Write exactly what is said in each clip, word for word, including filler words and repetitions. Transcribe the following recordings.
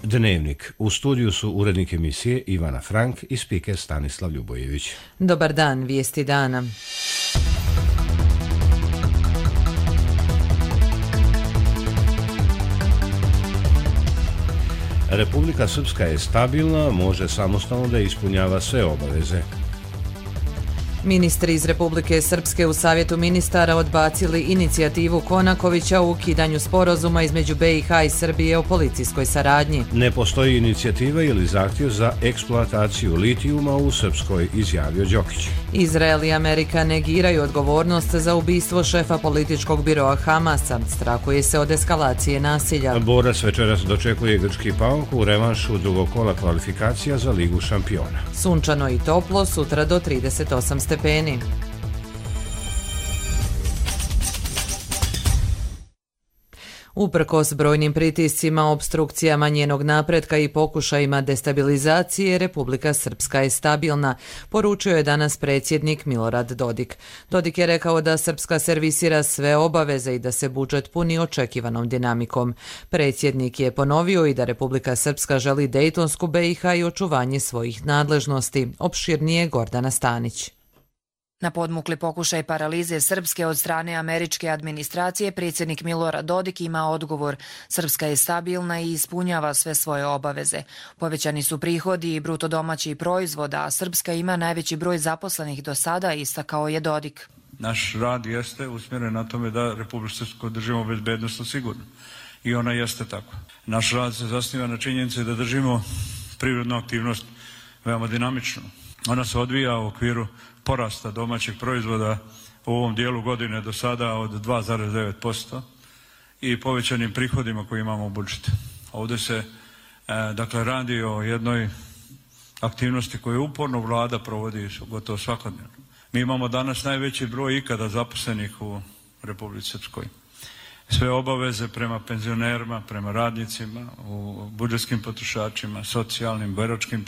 Dnevnik. U studiju su urednik emisije Ivana Frank i spiker Stanislav Ljubojević. Dobar dan, vijesti dana. Republika Srpska je stabilna, može samostalno da ispunjava sve obaveze. Ministri iz Republike Srpske u Savjetu ministara odbacili inicijativu Konakovića u ukidanju sporazuma između B i H i Srbije o policijskoj saradnji. Ne postoji inicijativa ili zahtjev za eksploataciju litijuma u Srpskoj, izjavio Đokić. Izrael i Amerika negiraju odgovornost za ubistvo šefa političkog biroa Hamasa. Strahuje se od eskalacije nasilja. Borac večeras dočekuje grčki PAOK u revanšu drugog kola kvalifikacija za Ligu šampiona. Sunčano i toplo, sutra do trideset osam stepeni. Uprkos brojnim pritiscima, opstrukcijama njenog napretka i pokušajima destabilizacije, Republika Srpska je stabilna, poručio je danas predsjednik Milorad Dodik. Dodik je rekao da Srpska servisira sve obaveze i da se budžet puni očekivanom dinamikom. Predsjednik je ponovio i da Republika Srpska želi Dejtonsku B i H i očuvanje svojih nadležnosti. Opširnije Gordana Stanić. Na podmukli pokušaj paralize Srpske od strane američke administracije, predsjednik Milorad Dodik ima odgovor. Srpska je stabilna i ispunjava sve svoje obaveze. Povećani su prihodi i bruto domaći proizvod, a Srpska ima najveći broj zaposlenih do sada, istakao je Dodik. Naš rad jeste usmjeren na tome da Republiku Srpsku držimo bezbednosno sigurno. I ona jeste tako. Naš rad se zasniva na činjenici da držimo privrednu aktivnost veoma dinamično. Ona se odvija u okviru porasta domaćeg proizvoda u ovom dijelu godine do sada od dva zarez devet posto i povećanim prihodima koje imamo u budžetu. Ovdje se e, dakle radi o jednoj aktivnosti koju uporno vlada provodi gotovo svakodnevno. Mi imamo danas najveći broj ikada zaposlenih u Republici Srpskoj. Sve obaveze prema penzionerima, prema radnicima, u budžetskim potrošačima, socijalnim, boračkim,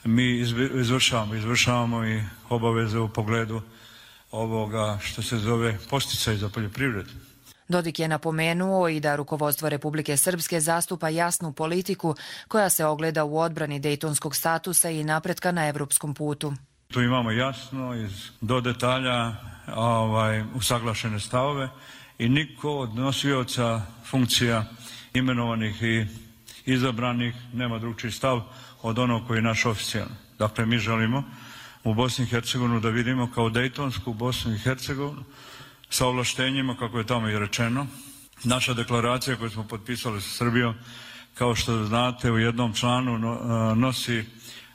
mi izvršavamo, izvršavamo i obaveze u pogledu ovoga što se zove podsticaj za poljoprivredu. Dodik je napomenuo i da rukovodstvo Republike Srpske zastupa jasnu politiku koja se ogleda u odbrani dejtonskog statusa i napretka na evropskom putu. Tu imamo jasno iz, do detalja ovaj, usaglašene stavove i niko od nosioca funkcija imenovanih i izabranih nema drugčiji stav od onog koji je naš oficijalni. Dakle, mi želimo u Bosni i Hercegovini da vidimo kao Dejtonsku Bosnu i Hercegovinu sa ovlaštenjima, kako je tamo i rečeno. Naša deklaracija koju smo potpisali sa Srbijom, kao što znate, u jednom članu nosi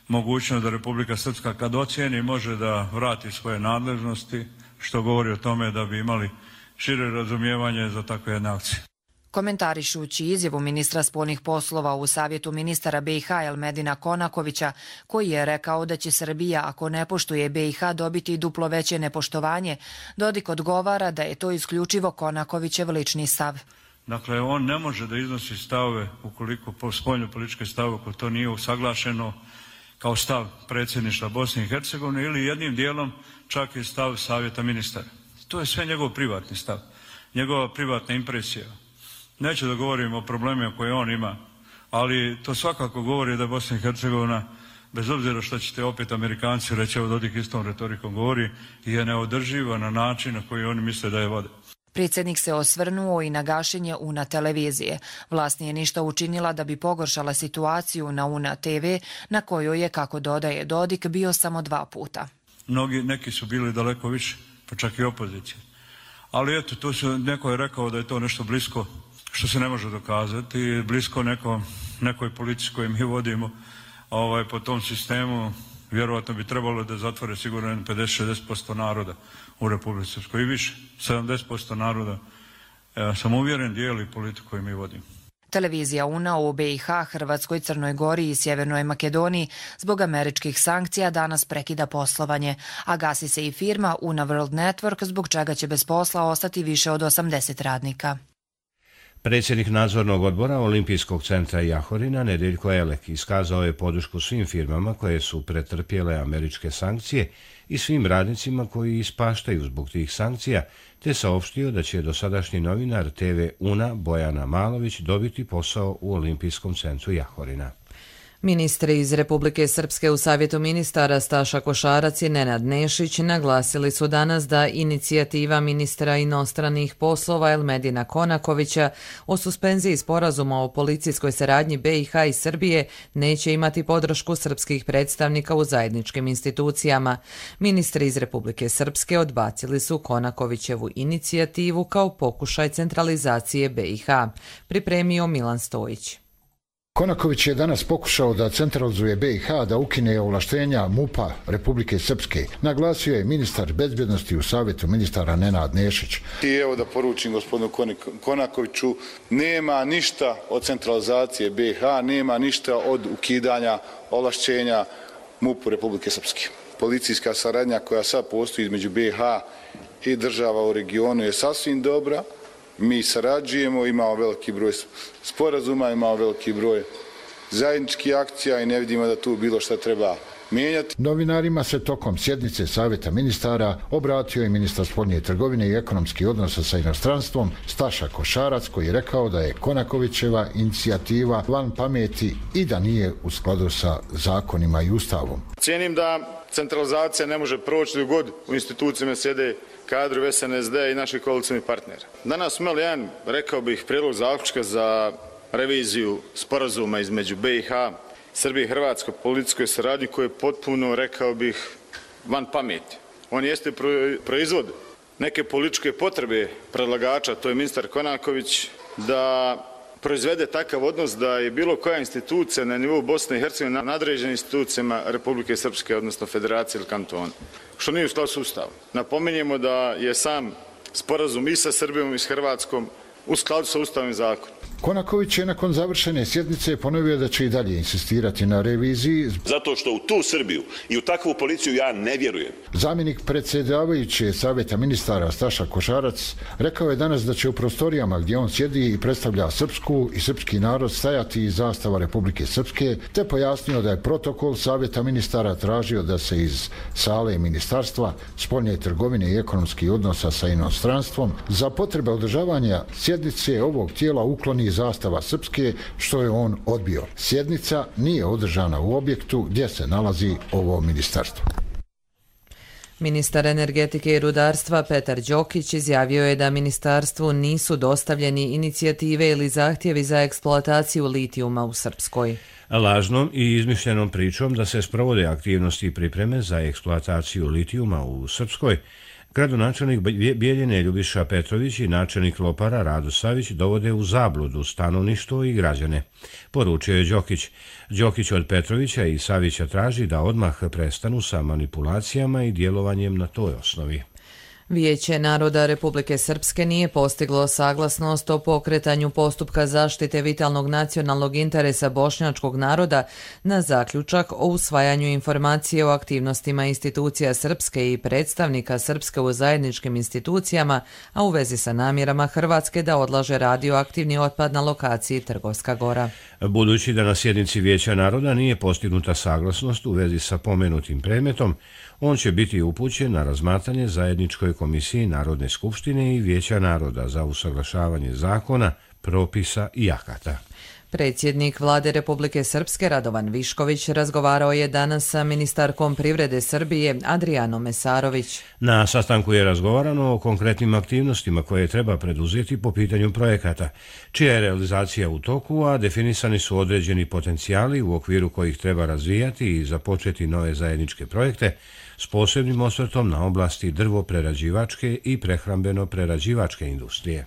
mogućnost da Republika Srpska kad ocijeni može da vrati svoje nadležnosti, što govori o tome da bi imali šire razumijevanje za takve jedne akcije. Komentarišući izjavu ministra spoljnih poslova u Savjetu ministara B i H Elmedina Konakovića, koji je rekao da će Srbija, ako ne poštuje B i H, dobiti duplo veće nepoštovanje, Dodik odgovara da je to isključivo Konakovićev lični stav. Dakle, on ne može da iznosi stavove ukoliko po spoljno političke stave, ako to nije usaglašeno kao stav predsjedništva Bosne i Hercegovine ili jednim dijelom čak i stav Savjeta ministara. To je sve njegov privatni stav, njegova privatna impresija. Neću da govorim o problemima koje on ima, ali to svakako govori da Bosna i Hercegovina, bez obzira što ćete opet Amerikanci reći, evo Dodik istom retorikom govori, je neodrživa na način na koji oni misle da je vode. Predsjednik se osvrnuo i na gašenje U N A televizije. Vlast nije ništa učinila da bi pogoršala situaciju na U N A te ve, na kojoj je, kako dodaje Dodik, bio samo dva puta. Mnogi, neki su bili daleko više, pa čak i opozicije. Ali eto, tu su, neko je rekao da je to nešto blisko, što se ne može dokazati, blisko neko, nekoj politici koju mi vodimo ovaj, po tom sistemu. Vjerovatno bi trebalo da zatvore sigurno pedeset do šezdeset posto naroda u Republici Srpskoj i više, sedamdeset posto naroda. Ja sam uvjeren dijeli politiku koju mi vodimo. Televizija U N A u B i H, Hrvatskoj, Crnoj Gori i Sjevernoj Makedoniji zbog američkih sankcija danas prekida poslovanje, a gasi se i firma U N A World Network, zbog čega će bez posla ostati više od osamdeset radnika. Predsjednik nadzornog odbora Olimpijskog centra Jahorina, Nedeljko Elek, iskazao je podršku svim firmama koje su pretrpjele američke sankcije i svim radnicima koji ispaštaju zbog tih sankcija, te saopštio da će dosadašnji novinar te ve Una Bojana Malović dobiti posao u Olimpijskom centru Jahorina. Ministri iz Republike Srpske u Savjetu ministara Staša Košarac i Nenad Nešić naglasili su danas da inicijativa ministra inostranih poslova Elmedina Konakovića o suspenziji sporazuma o policijskoj saradnji be i ha i Srbije neće imati podršku srpskih predstavnika u zajedničkim institucijama. Ministri iz Republike Srpske odbacili su Konakovićevu inicijativu kao pokušaj centralizacije be i ha. Pripremio Milan Stojić. Konaković je danas pokušao da centralizuje be i ha, da ukine ovlaštenja mupa Republike Srpske. Naglasio je ministar bezbjednosti u Savjetu ministara Nenad Nešić. I evo da poručim gospodinu Konakoviću, nema ništa od centralizacije be i ha, nema ništa od ukidanja ovlašćenja mupu Republike Srpske. Policijska saradnja koja sad postoji između be i ha i država u regionu je sasvim dobra. Mi sarađujemo, imamo veliki broj sporazuma, imamo veliki broj zajedničkih akcija i ne vidimo da tu bilo šta treba mijenjati. Novinarima se tokom sjednice Savjeta ministara obratio i ministar spoljne trgovine i ekonomskih odnosa sa inostranstvom Staša Košarac, koji je rekao da je Konakovićeva inicijativa van pameti i da nije u skladu sa zakonima i ustavom. Cijenim da centralizacija ne može proći dok god u institucijama sjede kadru es en es de i naših koalicijskih partnera. Danas smo imali jedan, rekao bih, prijedlog zaključka za reviziju sporazuma između be i ha, Srbije i Hrvatske policijskoj saradnji koji je potpuno, rekao bih, van pameti. On jeste proizvod neke političke potrebe predlagača, to je ministar Konaković, da proizvede takav odnos da je bilo koja institucija na nivou Bosne i Hercegovine nadređena institucijama Republike Srpske, odnosno Federacije ili kantona, što nije u skladu s Ustavom. Napominjemo da je sam sporazum i sa Srbijom i s Hrvatskom u skladu sa Ustavom i zakonom. Konaković je nakon završene sjednice ponovio da će i dalje insistirati na reviziji. Zato što u tu Srbiju i u takvu policiju ja ne vjerujem. Zamjenik predsjedavajuće Savjeta ministara Staša Košarac rekao je danas da će u prostorijama gdje on sjedi i predstavlja srpsku i srpski narod stajati i zastava Republike Srpske, te pojasnio da je protokol Savjeta ministara tražio da se iz sale ministarstva spoljne trgovine i ekonomskih odnosa sa inostranstvom za potrebe održavanja sjednice ovog tijela ukloni zastava Srpske, što je on odbio. Sjednica nije održana u objektu gdje se nalazi ovo ministarstvo. Ministar energetike i rudarstva Petar Đokić izjavio je da ministarstvu nisu dostavljeni inicijative ili zahtjevi za eksploataciju litijuma u Srpskoj. Lažnom i izmišljenom pričom da se sprovode aktivnosti i pripreme za eksploataciju litijuma u Srpskoj, gradonačelnik Bijeljine Ljubiša Petrović i načelnik Lopara Rado Savić dovode u zabludu stanovništvo i građane, poručio je Đokić. Đokić od Petrovića i Savića traži da odmah prestanu sa manipulacijama i djelovanjem na toj osnovi. Vijeće naroda Republike Srpske nije postiglo saglasnost o pokretanju postupka zaštite vitalnog nacionalnog interesa bošnjačkog naroda na zaključak o usvajanju informacije o aktivnostima institucija Srpske i predstavnika Srpske u zajedničkim institucijama, a u vezi sa namjerama Hrvatske da odlaže radioaktivni otpad na lokaciji Trgovska Gora. Budući da na sjednici Vijeća naroda nije postignuta saglasnost u vezi sa pomenutim predmetom, on će biti upućen na razmatranje zajedničkoj komisiji Narodne skupštine i Vijeća naroda za usaglašavanje zakona, propisa i akata. Predsjednik Vlade Republike Srpske Radovan Višković razgovarao je danas sa ministarkom privrede Srbije Adrijanom Mesarović. Na sastanku je razgovarano o konkretnim aktivnostima koje treba preduzeti po pitanju projekata, čija je realizacija u toku, a definisani su određeni potencijali u okviru kojih treba razvijati i započeti nove zajedničke projekte s posebnim osvrtom na oblasti drvoprerađivačke i prehrambeno-prerađivačke industrije.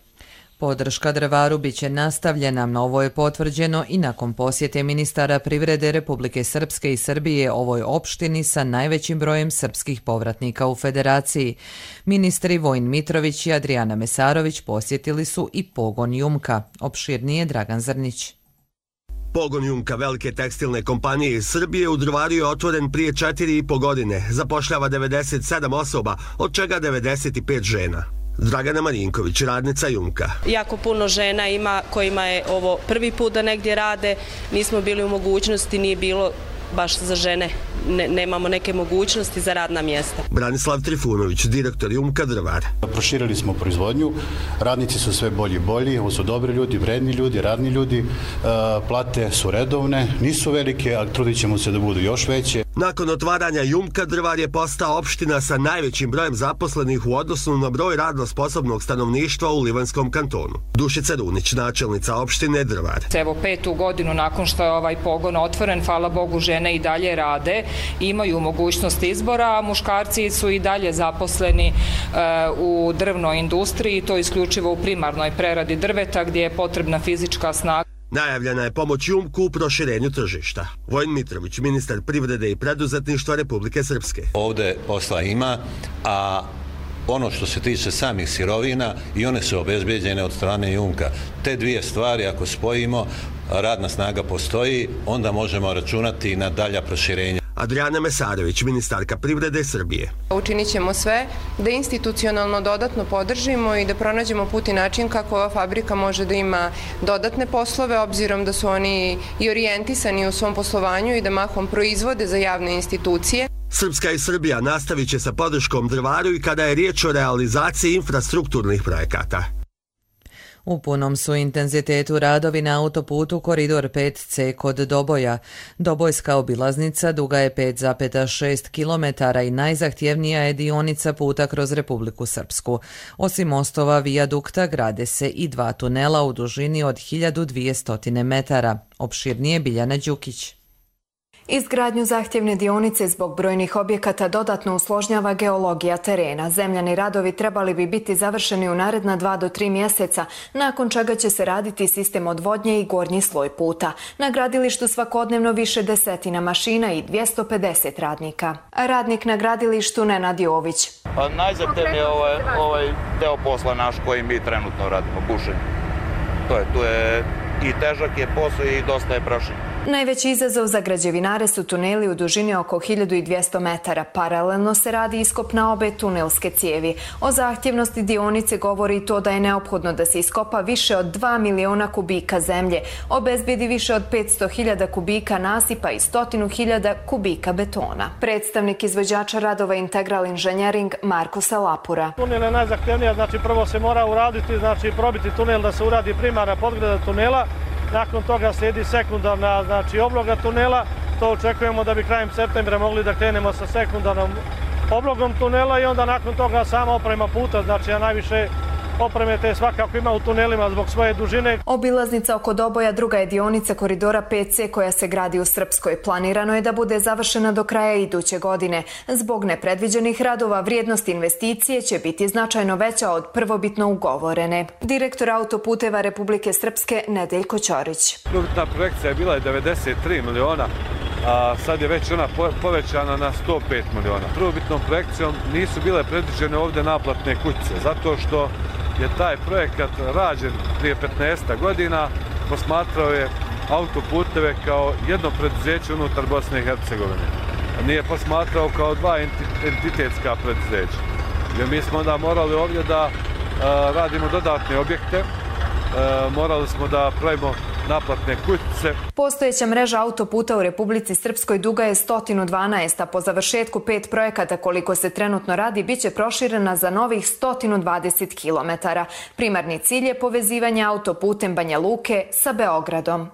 Podrška drvaru biće nastavljena, ovo je potvrđeno i nakon posjete ministara privrede Republike Srpske i Srbije ovoj opštini sa najvećim brojem srpskih povratnika u federaciji. Ministri Vojin Mitrović i Adrijana Mesarović posjetili su i pogon Jumka. Opširnije Dragan Zrnić. Pogon Jumka, velike tekstilne kompanije iz Srbije, u Drvaru je otvoren prije četiri i po godine. Zapošljava devedeset sedam osoba, od čega devedeset pet žena. Dragana Marinković, radnica Jumka. Jako puno žena ima kojima je ovo prvi put da negdje rade, nismo bili u mogućnosti, nije bilo baš za žene, ne, nemamo neke mogućnosti za radna mjesta. Branislav Trifunović, direktor Jumka Drvar. Proširili smo proizvodnju, radnici su sve bolji i bolji, ovo su dobri ljudi, vredni ljudi, radni ljudi, plate su redovne, nisu velike, ali trudit ćemo se da budu još veće. Nakon otvaranja Jumka Drvar je postao opština sa najvećim brojem zaposlenih u odnosu na broj radno sposobnog stanovništva u Livanskom kantonu. Dušica Runić, načelnica opštine Drvar. Evo petu godinu nakon što je ovaj pogon otvoren, hvala Bogu, žene i dalje rade, imaju mogućnost izbora, a muškarci su i dalje zaposleni e, u drvnoj industriji, to isključivo u primarnoj preradi drveta gdje je potrebna fizička snaga. Najavljena je pomoć Jumku u proširenju tržišta. Vojin Mitrović, ministar privrede i preduzetništva Republike Srpske. Ovde posla ima, a ono što se tiče samih sirovina i one su obezbeđene od strane Jumka. Te dvije stvari ako spojimo, radna snaga postoji, onda možemo računati na dalja proširenja. Adriana Mesarović, ministarka privrede Srbije. Učinit ćemo sve da institucionalno dodatno podržimo i da pronađemo put i način kako ova fabrika može da ima dodatne poslove, obzirom da su oni i orijentisani u svom poslovanju i da mahom proizvode za javne institucije. Srpska i Srbija nastavit će sa podrškom Drvaru i kada je riječ o realizaciji infrastrukturnih projekata. U punom su intenzitetu radovi na autoputu Koridor pet ce kod Doboja. Dobojska obilaznica duga je pet zarez šest kilometara i najzahtjevnija je dionica puta kroz Republiku Srpsku. Osim mostova vijadukta grade se i dva tunela u dužini od hiljadu dvjesto metara. Opširnije Biljana Đukić. Izgradnju zahtjevne dionice zbog brojnih objekata dodatno usložnjava geologija terena. Zemljani radovi trebali bi biti završeni u naredna dva do tri mjeseca, nakon čega će se raditi sistem odvodnje i gornji sloj puta. Na gradilištu svakodnevno više desetina mašina i dvjesto pedeset radnika. Radnik na gradilištu Nenad Jović. Pa najzahtjevniji je ovaj, ovaj deo posla naš koji mi trenutno radimo, bušenje. To je, tu je i težak je posao i dosta je prašenje. Najveći izazov za građevinare su tuneli u dužini oko hiljadu dvjesto metara. Paralelno se radi iskop na obe tunelske cijevi. O zahtjevnosti dionice govori i to da je neophodno da se iskopa više od dva miliona kubika zemlje, obezbedi više od petsto hiljada kubika nasipa i stotinu hiljada kubika betona. Predstavnik izvođača radova Integral Inženjering Marko Salapura. Tunel je najzahtjevnija, znači prvo se mora uraditi, znači probiti tunel da se uradi primarna podgrada tunela. Nakon toga slijedi sekundarna, znači obloga tunela. To očekujemo da bi krajem septembra mogli da krenemo sa sekundarnom oblogom tunela i onda nakon toga sama oprema puta, znači a najviše opreme te svakako ima u tunelima zbog svoje dužine. Obilaznica oko Doboja druga je dionica Koridora pet ce koja se gradi u Srpskoj. Planirano je da bude završena do kraja iduće godine. Zbog nepredviđenih radova vrijednost investicije će biti značajno veća od prvobitno ugovorene. Direktor autoputeva Republike Srpske Nedeljko Ćorić. Prvobitna projekcija je bila devedeset tri miliona, a sad je već ona povećana na sto pet miliona. Prvobitnom projekcijom nisu bile predviđene ovdje naplatne kućice, zato što je taj projekat rađen prije petnaest godina, posmatrao je autoputeve kao jedno preduzeće unutar Bosne i Hercegovine. Nije posmatrao kao dva entitetska preduzeća. Jer mi smo onda morali ovdje da a, radimo dodatne objekte, a, morali smo da pravimo naplatne kućice. Postojeća mreža autoputa u Republici Srpskoj duga je sto dvanaest, a po završetku pet projekata koliko se trenutno radi biće proširena za novih sto dvadeset kilometara. Primarni cilj je povezivanje autoputem Banja Luke sa Beogradom.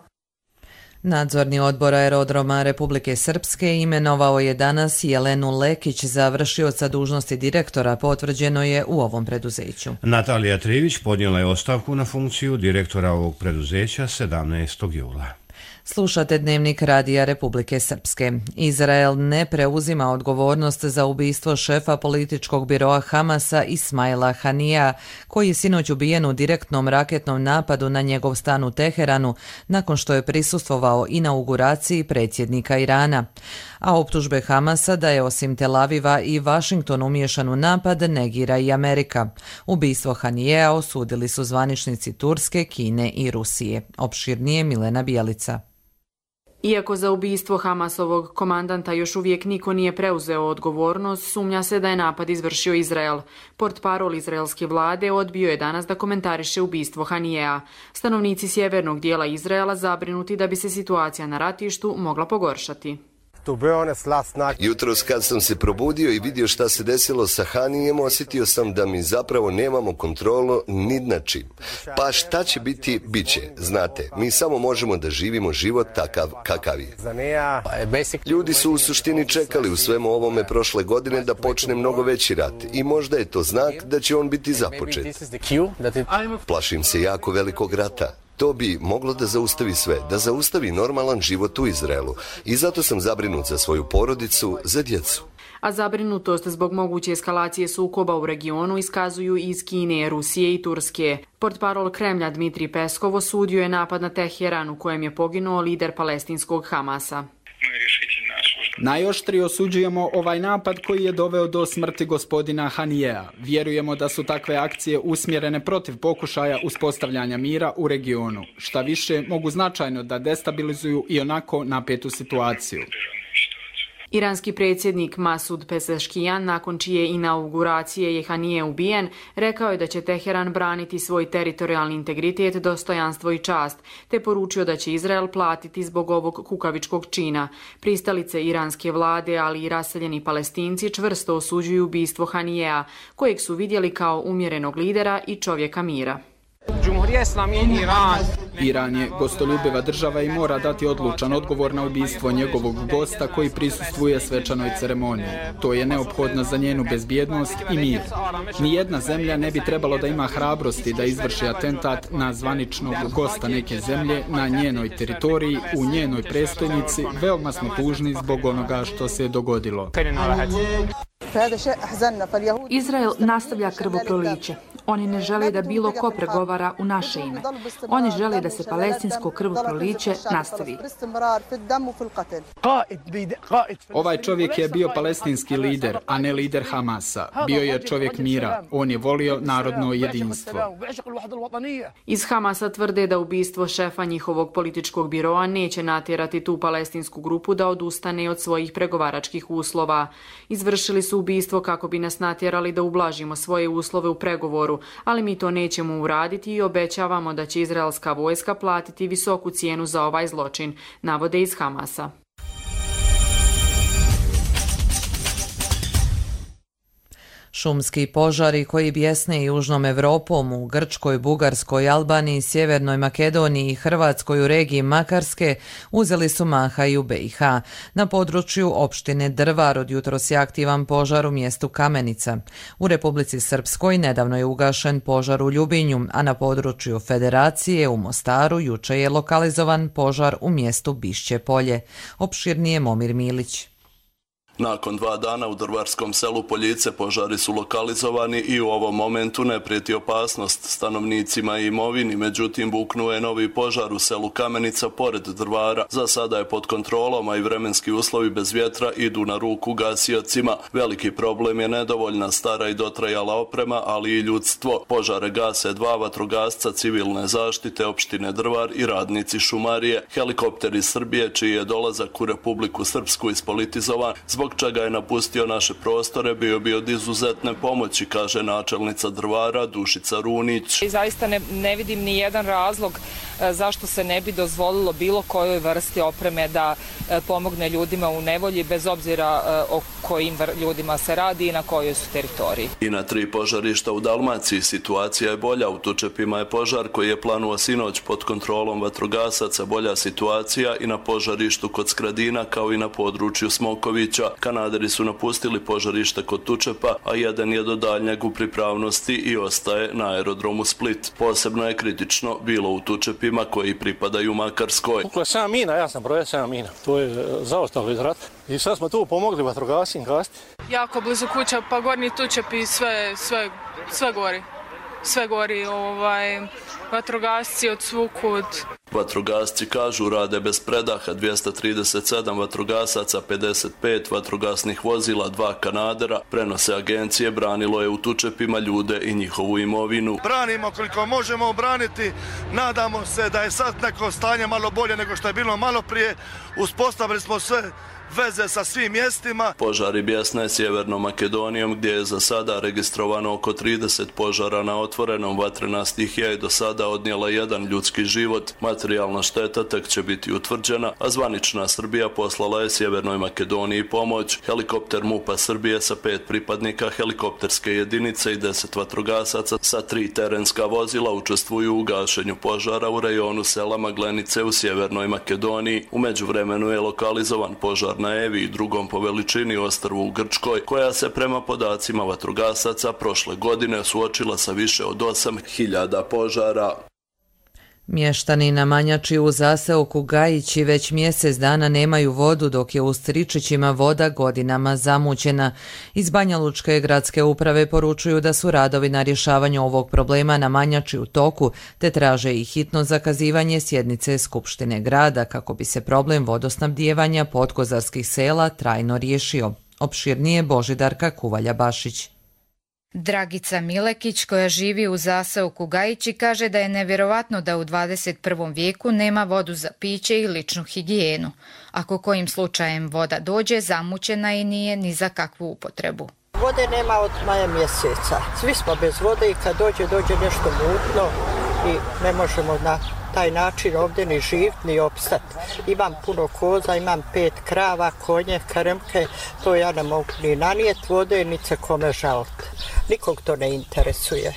Nadzorni odbor Aerodroma Republike Srpske imenovao je danas Jelenu Lekić za vršioca dužnosti direktora, potvrđeno je u ovom preduzeću. Natalija Trivić podnijela je ostavku na funkciju direktora ovog preduzeća sedamnaestog jula. Slušate Dnevnik Radija Republike Srpske. Izrael ne preuzima odgovornost za ubistvo šefa političkog biroa Hamasa Ismaila Hanija, koji je sinoć ubijen u direktnom raketnom napadu na njegov stan u Teheranu, nakon što je prisustvovao inauguraciji predsjednika Irana. A optužbe Hamasa da je osim Tel Aviva i Washington umiješan u napad negira i Amerika. Ubistvo Hanijea osudili su zvaničnici Turske, Kine i Rusije. Opširnije Milena Bijelica. Iako za ubistvo Hamasovog komandanta još uvijek niko nije preuzeo odgovornost, sumnja se da je napad izvršio Izrael. Portparol izraelske vlade odbio je danas da komentariše ubistvo Hanijea. Stanovnici sjevernog dijela Izraela zabrinuti da bi se situacija na ratištu mogla pogoršati. Jutros kad sam se probudio i vidio šta se desilo sa Hanijem, osjetio sam da mi zapravo nemamo kontrolu ni nad čim. Pa šta će biti, bit će. Znate, mi samo možemo da živimo život takav kakav je. Ljudi su u suštini čekali u svemu ovome prošle godine da počne mnogo veći rat i možda je to znak da će on biti započet. Plašim se jako velikog rata. To bi moglo da zaustavi sve, da zaustavi normalan život u Izraelu. I zato sam zabrinut za svoju porodicu, za djecu. A zabrinutost zbog moguće eskalacije sukoba u regionu iskazuju iz Kine, Rusije i Turske. Portparol Kremlja Dmitrij Peskov osudio je napad na Teheran u kojem je poginuo lider palestinskog Hamasa. Najoštrije osuđujemo ovaj napad koji je doveo do smrti gospodina Hanijea. Vjerujemo da su takve akcije usmjerene protiv pokušaja uspostavljanja mira u regionu. Šta više, mogu značajno da destabilizuju i onako napetu situaciju. Iranski predsjednik Masud Pezeshkian, nakon čije inauguracije je Hanije ubijen, rekao je da će Teheran braniti svoj teritorijalni integritet, dostojanstvo i čast, te poručio da će Izrael platiti zbog ovog kukavičkog čina. Pristalice iranske vlade, ali i raseljeni Palestinci čvrsto osuđuju ubistvo Hanijea, kojeg su vidjeli kao umjerenog lidera i čovjeka mira. Iran je gostoljubiva država i mora dati odlučan odgovor na ubistvo njegovog gosta koji prisustvuje svečanoj ceremoniji. To je neophodno za njenu bezbjednost i mir. Nijedna zemlja ne bi trebalo da ima hrabrosti da izvrši atentat na zvaničnog gosta neke zemlje na njenoj teritoriji, u njenoj prestonici. Veoma smo tužni zbog onoga što se dogodilo. Izrael nastavlja krvoproliće. Oni ne žele da bilo ko pregovara u naše ime. Oni žele da se palestinsko krvoproliće nastavi. Ovaj čovjek je bio palestinski lider, a ne lider Hamasa. Bio je čovjek mira. On je volio narodno jedinstvo. Iz Hamasa tvrde da ubistvo šefa njihovog političkog biroa neće natjerati tu palestinsku grupu da odustane od svojih pregovaračkih uslova. Izvršili su ubistvo kako bi nas natjerali da ublažimo svoje uslove u pregovoru, ali mi to nećemo uraditi i obećavamo da će izraelska vojska platiti visoku cijenu za ovaj zločin, navode iz Hamasa. Šumski požari koji bjesne južnom Evropom u Grčkoj, Bugarskoj, Albaniji, Sjevernoj Makedoniji i Hrvatskoj u regiji Makarske uzeli su maha i u B i H. Na području opštine Drvar od jutros je aktivan požar u mjestu Kamenica. U Republici Srpskoj nedavno je ugašen požar u Ljubinju, a na području Federacije u Mostaru juče je lokalizovan požar u mjestu Bišće Polje. Opširnije Momir Milić. Nakon dva dana u drvarskom selu Poljice požari su lokalizovani i u ovom momentu ne prijeti opasnost stanovnicima i imovini, međutim buknuo je novi požar u selu Kamenica pored Drvara. Za sada je pod kontrolom, a i vremenski uslovi bez vjetra idu na ruku gasiocima. Veliki problem je nedovoljna stara i dotrajala oprema, ali i ljudstvo. Požare gase dva vatrogasca civilne zaštite opštine Drvar i radnici šumarije. Helikopter iz Srbije, čiji je dolazak u Republiku Srpsku ispolitizovan, zbog čega je napustio naše prostore, bio bi od izuzetne pomoći, kaže načelnica Drvara Dušica Runić. I zaista ne, ne vidim ni jedan razlog e, zašto se ne bi dozvolilo bilo kojoj vrsti opreme da e, pomogne ljudima u nevolji, bez obzira e, o kojim ljudima se radi i na kojoj su teritoriji. I na tri požarišta u Dalmaciji situacija je bolja. U Tučepima je požar koji je planuo sinoć pod kontrolom vatrogasaca bolja situacija i na požarištu kod Skradina kao i na području Smokovića. Kanaderi su napustili požarište kod Tučepa, a jedan je do daljnjeg u pripravnosti i ostaje na aerodromu Split. Posebno je kritično bilo u Tučepima koji pripadaju Makarskoj. Ukle sedam mina, ja sam brojao sedam mina. To je zaostalo iz rata. I sad smo tu pomogli vatrogascima gasti. Jako blizu kuća, pa gornji Tučep i sve, sve, sve gori. Sve gori, ovaj, vatrogasci od svukud. Vatrogasci kažu rade bez predaha, dvjesto trideset sedam vatrogasaca, pedeset pet vatrogasnih vozila, dva kanadera, prenose agencije, branilo je u tučepima ljude i njihovu imovinu. Branimo koliko možemo obraniti, nadamo se da je sad neko stanje malo bolje nego što je bilo malo prije, uspostavili smo sve veze sa svim mjestima. Požari bjesne Sjevernom Makedonijom gdje je za sada registrovano oko trideset požara na otvorenom. Vatrena stihija je do sada odnijela jedan ljudski život. Materijalna šteta tek će biti utvrđena, a zvanična Srbija poslala je Sjevernoj Makedoniji pomoć. Helikopter MUP-a Srbije sa pet pripadnika helikopterske jedinice i deset vatrogasaca sa tri terenska vozila učestvuju u gašenju požara u rejonu sela Maglenice u Sjevernoj Makedoniji. U međuvremenu je lokalizovan požar na Evi i drugom po veličini ostrvu u Grčkoj, koja se prema podacima vatrogasaca prošle godine suočila sa više od osam hiljada požara. Mještani na Manjači u zaseoku Gajići već mjesec dana nemaju vodu, dok je u Stričićima voda godinama zamućena. Iz Banja Lučke gradske uprave poručuju da su radovi na rješavanju ovog problema na Manjači u toku, te traže i hitno zakazivanje sjednice Skupštine grada kako bi se problem vodosnabdijevanja podkozarskih sela trajno riješio. Opširnije Božidarka Kuvalja-Bašić. Dragica Milekić, koja živi u zaseoku Gajići, kaže da je nevjerovatno da u dvadeset prvom vijeku nema vodu za piće i ličnu higijenu. Ako kojim slučajem voda dođe, zamućena i nije ni za kakvu upotrebu. Vode nema od maja mjeseca. Svi smo bez vode i kad dođe, dođe nešto mutno i ne možemo na taj način ovdje ni živjeti, ni opstati. Imam puno koza, imam pet krava, konje, krmke, to ja ne mogu ni nanijeti vode, ni se kome žaliti. Nikog to ne interesuje.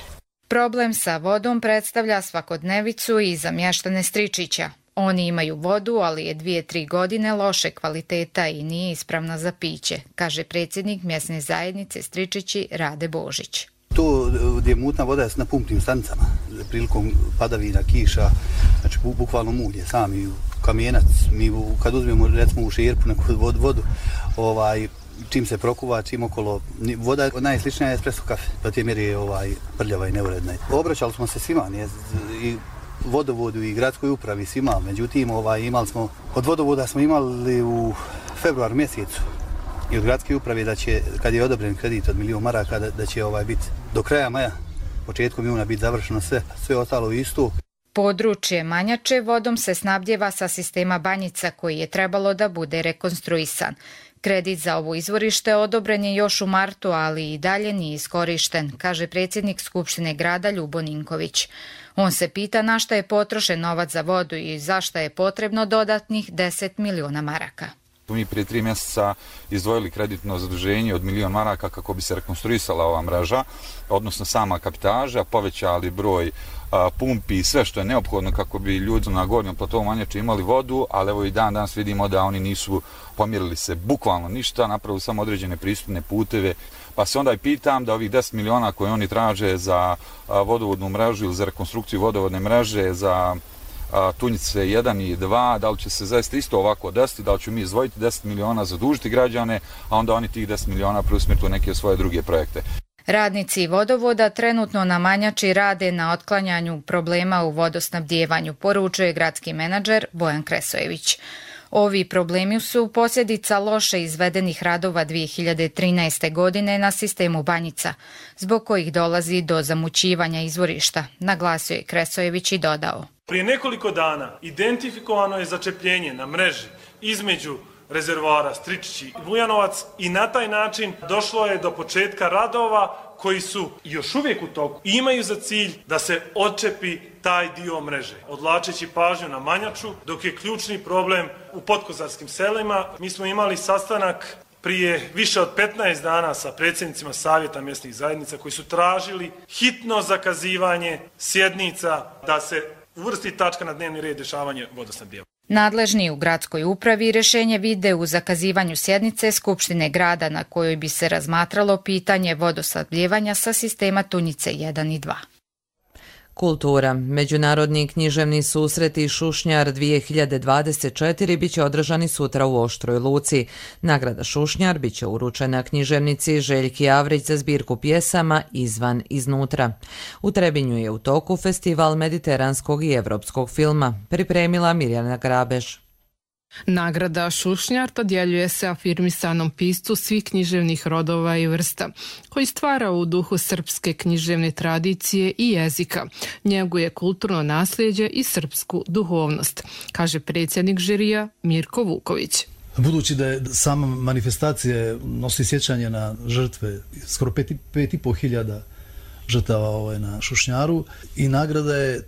Problem sa vodom predstavlja svakodnevicu i za mještane Stričića. Oni imaju vodu, ali je dvije, tri godine loše kvaliteta i nije ispravna za piće, kaže predsjednik mjesne zajednice Stričići Rade Božić. To gdje je mutna voda je na pumpnim stanicama, prilikom padavina, kiša, znači bukvalno mulje, sami kamenac, mi kad uzmemo recimo u šerpu neku vodu, vodu ovaj, čim se prokuva, čim okolo, voda najsličnija je espresso kafe, pa te mjeri je ovaj, prljava i neuredna. Obraćali smo se svima, nije, i vodovodu i gradskoj upravi svima, međutim ovaj, imali smo, od vodovoda smo imali u februar mjesecu i od gradske uprave da će, kad je odobren kredit od milijun maraka, da, da će ovaj biti do kraja maja, početkom juna biti završeno sve, sve ostalo isto. Područje Manjače vodom se snabdjeva sa sistema Banjica koji je trebalo da bude rekonstruisan. Kredit za ovo izvorište odobren je još u martu, ali i dalje nije iskorišten, kaže predsjednik Skupštine grada Ljubo Ninković. On se pita na šta je potrošen novac za vodu i zašto je potrebno dodatnih deset miliona maraka. Mi prije tri mjeseca izdvojili kreditno zaduženje od milion maraka kako bi se rekonstruisala ova mreža, odnosno sama kapitaža, povećali broj a, pumpi i sve što je neophodno kako bi ljudi na gornjem platovu Manjače imali vodu, ali evo i dan danas vidimo da oni nisu pomjerili se bukvalno ništa, napravili samo određene pristupne puteve, pa se onda i pitam da ovih deset miliona koje oni traže za a, vodovodnu mrežu ili za rekonstrukciju vodovodne mreže, za Tunjice jedan i dva, da li će se zaista isto ovako desiti, da li ću mi izdvojiti deset miliona, zadužiti građane, a onda oni tih deset miliona preusmjeriti u neke svoje druge projekte. Radnici vodovoda trenutno na Manjači rade na otklanjanju problema u vodosnabdjevanju, poručuje gradski menadžer Bojan Kresojević. Ovi problemi su posljedica loše izvedenih radova dvije hiljade trinaeste. godine na sistemu Banjica, zbog kojih dolazi do zamućivanja izvorišta, naglasio je Kresojević i dodao. Prije nekoliko dana identifikovano je začepljenje na mreži između rezervoara Stričići i Bujanovac i na taj način došlo je do početka radova koji su još uvijek u toku i imaju za cilj da se odčepi taj dio mreže, odvlačeći pažnju na Manjaču, dok je ključni problem u podkozarskim selima. Mi smo imali sastanak prije više od petnaest dana sa predsjednicima savjeta mjesnih zajednica koji su tražili hitno zakazivanje sjednica da se uvrsti tačka na dnevni red rješavanje vodosnabdijevanja. Nadležni u gradskoj upravi rješenje vide u zakazivanju sjednice Skupštine grada na kojoj bi se razmatralo pitanje vodosnabdijevanja sa sistema Tunjice jedan i dva. Kultura. Međunarodni književni susreti Šušnjar dvije hiljade dvadeset četiri biće održani sutra u Oštroj Luci. Nagrada Šušnjar biće uručena književnici Željki Avrić za zbirku pjesama Izvan iznutra. U Trebinju je u toku festival mediteranskog i evropskog filma. Pripremila Mirjana Grabež. Nagrada Šušnjar dodjeljuje se afirmisanom piscu svih književnih rodova i vrsta, koji stvara u duhu srpske književne tradicije i jezika, njeguje kulturno nasljeđe i srpsku duhovnost, kaže predsjednik žirija Mirko Vuković. Budući da je sama manifestacija nosi sjećanje na žrtve, skoro pet, pet i po hiljada žrtava ovaj, na Šušnjaru, i nagrada je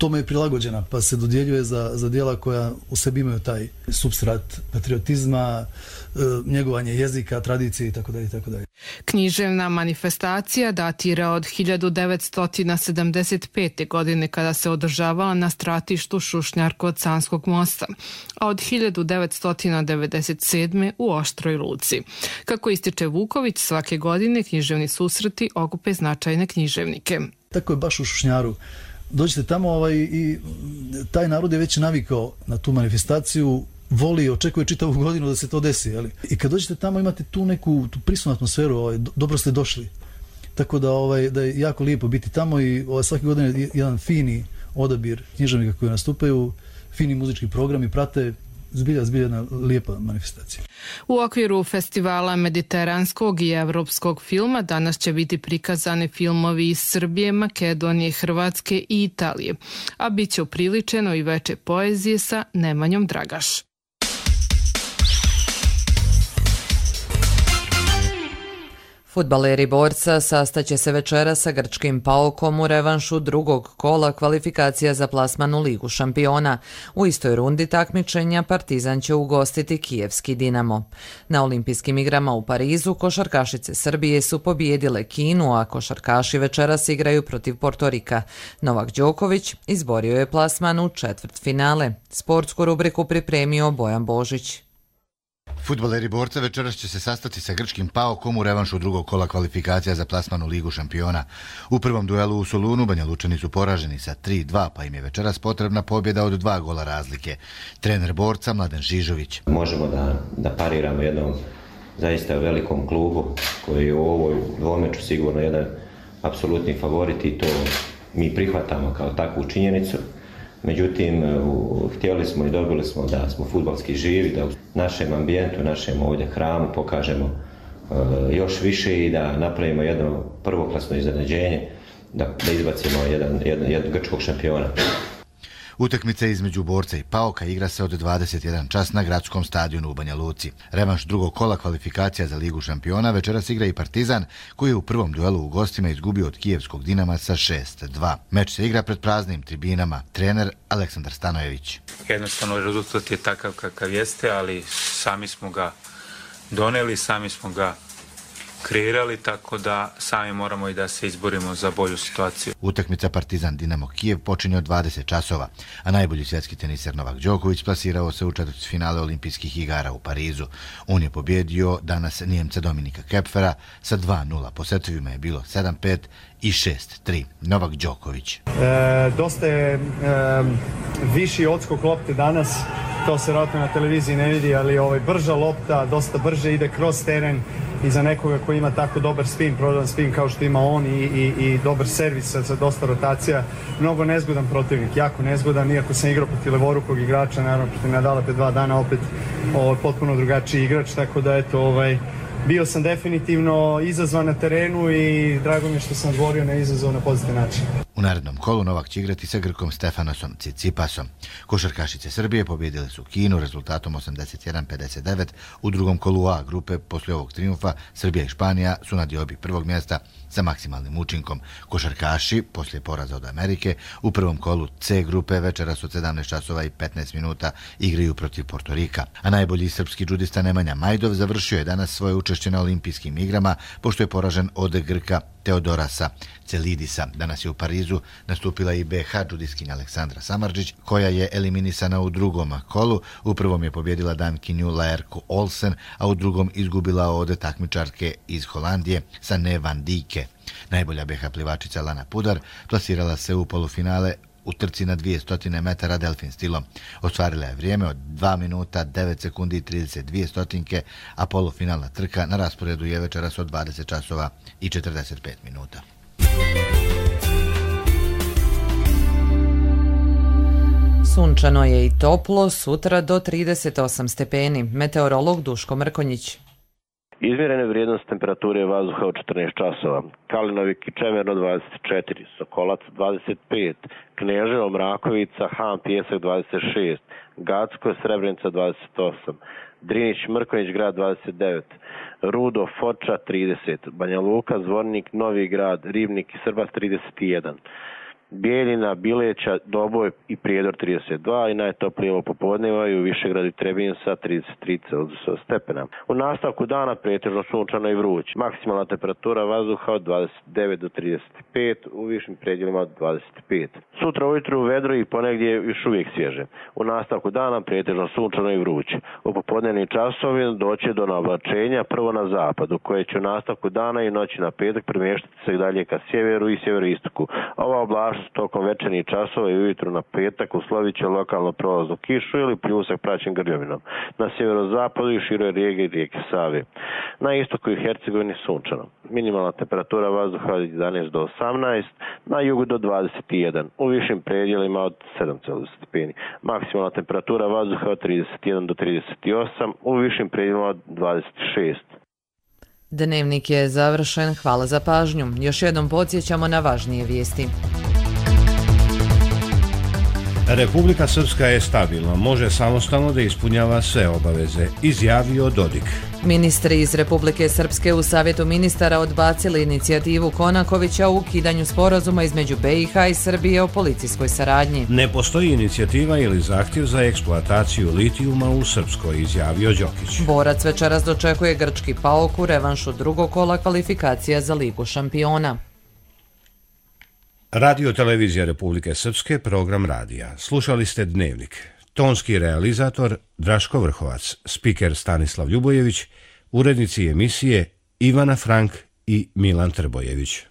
tome je prilagođena, pa se dodjeljuje za, za djela koja u sebi imaju taj supstrat patriotizma, e, njegovanje jezika, tradicije itd. itd. Književna manifestacija datira od hiljadu devetsto sedamdeset pete. godine kada se održavala na stratištu Šušnjar kod Sanskog mosta, a od hiljadu devetsto devedeset sedme. u Oštroj Luci. Kako ističe Vuković, svake godine književni susreti okupe značajne književnike. Tako je baš u Šušnjaru. Dođete tamo ovaj, i taj narod je već navikao na tu manifestaciju, voli i očekuje čitavu godinu da se to desi. Jeli? I kad dođete tamo imate tu neku tu prisutnu atmosferu, ovaj, dobro ste došli. Tako da, ovaj, da je jako lijepo biti tamo i ovaj, svake godine jedan fini odabir književnika koji nastupaju, fini muzički programi prate. Zbilja, zbilja jedna lijepa manifestacija. U okviru festivala mediteranskog i evropskog filma danas će biti prikazani filmovi iz Srbije, Makedonije, Hrvatske i Italije, a bit će upriličeno i veče poezije sa Nemanjom Dragaš. Fudbaleri Borca sastaće se večera sa grčkim Paokom u revanšu drugog kola kvalifikacija za plasman u Ligu šampiona. U istoj rundi takmičenja Partizan će ugostiti kijevski Dinamo. Na olimpijskim igrama u Parizu košarkašice Srbije su pobijedile Kinu, a košarkaši večeras igraju protiv Portorika. Novak Đoković izborio je plasman u četvrtfinale. Sportsku rubriku pripremio Bojan Božić. Fudbaleri Borca večeras će se sastati sa grčkim Paokom u revanšu drugog kola kvalifikacija za plasman u Ligu šampiona. U prvom duelu u Solunu Banja Lučani su poraženi sa tri dva, pa im je večeras potrebna pobjeda od dva gola razlike. Trener Borca Mladen Žižović. Možemo da, da pariramo jednom zaista velikom klubu koji je u ovoj dvomeču sigurno jedan apsolutni favorit i to mi prihvatamo kao takvu činjenicu. Međutim, htjeli smo i dobili smo da smo fudbalski živi, da u našem ambijentu, našem ovdje hramu pokažemo još više i da napravimo jedno prvoklasno iznenađenje, da, da izbacimo jedan, jedan, jedan grčkog šampiona. Utakmica između Borca i Paoka igra se od dvadeset jedan čas na gradskom stadionu u Banja Luci. Revanš drugog kola kvalifikacija za Ligu šampiona večeras igra i Partizan, koji je u prvom duelu u gostima izgubio od kijevskog Dinama sa šest dva. Meč se igra pred praznim tribinama. Trener Aleksandar Stanojević. Jednostavno rezultat je takav kakav jeste, ali sami smo ga doneli, sami smo ga kreirali, tako da sami moramo i da se izborimo za bolju situaciju. Utakmica Partizan Dinamo Kijev počinje od dvadeset časova, a najbolji svjetski teniser Novak Đoković plasirao se u četvrtfinale olimpijskih igara u Parizu. On je pobjedio danas Nijemca Dominika Kepfera sa dva nula. Po setovima je bilo sedam pet i šest tri. Novak Đoković. E, dosta je e, viši odskok lopte danas, to se vjerojatno na televiziji ne vidi, ali ovaj, brža lopta, dosta brže ide kroz teren i za nekoga koji ima tako dobar spin, prodan spin kao što ima on i, i, i dobar servis sa dosta rotacija, mnogo nezgodan protivnik, jako nezgodan, iako sam igrao protiv levorukog igrača, naravno protiv Nadala pre dva dana opet ovaj, potpuno drugačiji igrač, tako da eto, ovaj, bio sam definitivno izazvan na terenu i drago mi je što sam odgovorio na izazov na pozitivan način. U narednom kolu Novak će igrati sa Grkom Stefanosom Cicipasom. Košarkašice Srbije pobjedile su Kinu rezultatom osamdeset jedan pedeset devet. U drugom kolu A grupe poslije ovog triumfa Srbija i Španija su na diobi prvog mjesta sa maksimalnim učinkom. Košarkaši poslije poraza od Amerike u prvom kolu C grupe večeras od sedamnaest časova i petnaest minuta igraju protiv Portorika. A najbolji srpski džudista Nemanja Majdov završio je danas svoje učešće na olimpijskim igrama pošto je poražen od Grka Teodorasa Celidisa. Danas je u Parizu nastupila i be ha džudiskinja Aleksandra Samardžić, koja je eliminisana u drugom kolu. U prvom je pobjedila Dankinju Laerku Olsen, a u drugom izgubila od takmičarke iz Holandije Sanne van Dijke. Najbolja be ha plivačica Lana Pudar plasirala se u polufinale u trci na dvjesto metara delfin stilom. Ostvarila je vrijeme od dva minuta, devet sekundi i trideset dvije stotinke, a polufinalna trka na rasporedu je večeras od dvadeset časova i četrdeset pet minuta. Sunčano je i toplo, sutra do trideset osam stepeni. Meteorolog Duško Mrkonjić. Izmjerene vrijednost temperature vazduha u četrnaest časova. Kalinovik i Čemerno dvadeset četiri, Sokolac dvadeset pet, Kneževo, Mrakovica, Han, Pijesak dvadeset šest, Gacko, Srebrenica dvadeset osam, Drinić, Mrkonjić grad dvadeset devet, Rudo, Foča trideset, Banja Luka, Zvornik, Novi grad, Ribnik i Srbas trideset jedan. Bijeljina, Bileća, Doboj i Prijedor trideset dva i najtoplije ovo popodneva i u Višegradu i Trebinju sa trideset tri stepena. U nastavku dana pretežno sunčano i vruće. Maksimalna temperatura vazduha od dvadeset devet do trideset pet, u višim predjelima od dvadeset pet. Sutra ujutru vedro i ponegdje još uvijek svježe. U nastavku dana pretežno sunčano i vruće. U popodnevnim časovima doće do navlačenja prvo na zapadu, koje će u nastavku dana i noći na petak premještati se dalje ka sjeveru i sjeveroistoku. Ova oblast tokom večernjih časova i ujutru na petak uslovit će lokalno prolaznu kišu ili pljusak praćen grljovinom. Na sjeverozapadu i široj regiji rijeke Save. Na istoku i Hercegovini sunčano. Minimalna temperatura vazduha od jedanaest do osamnaest, na jugu do dvadeset jedan, u višim predjelima od sedam stepeni. Maksimalna temperatura vazduha od trideset jedan do trideset osam, u višim predjelima od dvadeset šest. Dnevnik je završen, hvala za pažnju. Još jednom podsjećamo na važnije vijesti. Republika Srpska je stabilna, može samostalno da ispunjava sve obaveze, izjavio Dodik. Ministri iz Republike Srpske u Savjetu ministara odbacili inicijativu Konakovića o ukidanju sporazuma između be i ha i Srbije o policijskoj saradnji. Ne postoji inicijativa ili zahtjev za eksploataciju litijuma u Srpskoj, izjavio Đokić. Borac večeras dočekuje grčki PAOK u revanšu drugog kola kvalifikacija za Ligu šampiona. Radio Televizija Republike Srpske, program radija. Slušali ste Dnevnik. Tonski realizator Draško Vrhovac, spiker Stanislav Ljubojević, urednici emisije Ivana Frank i Milan Trbojević.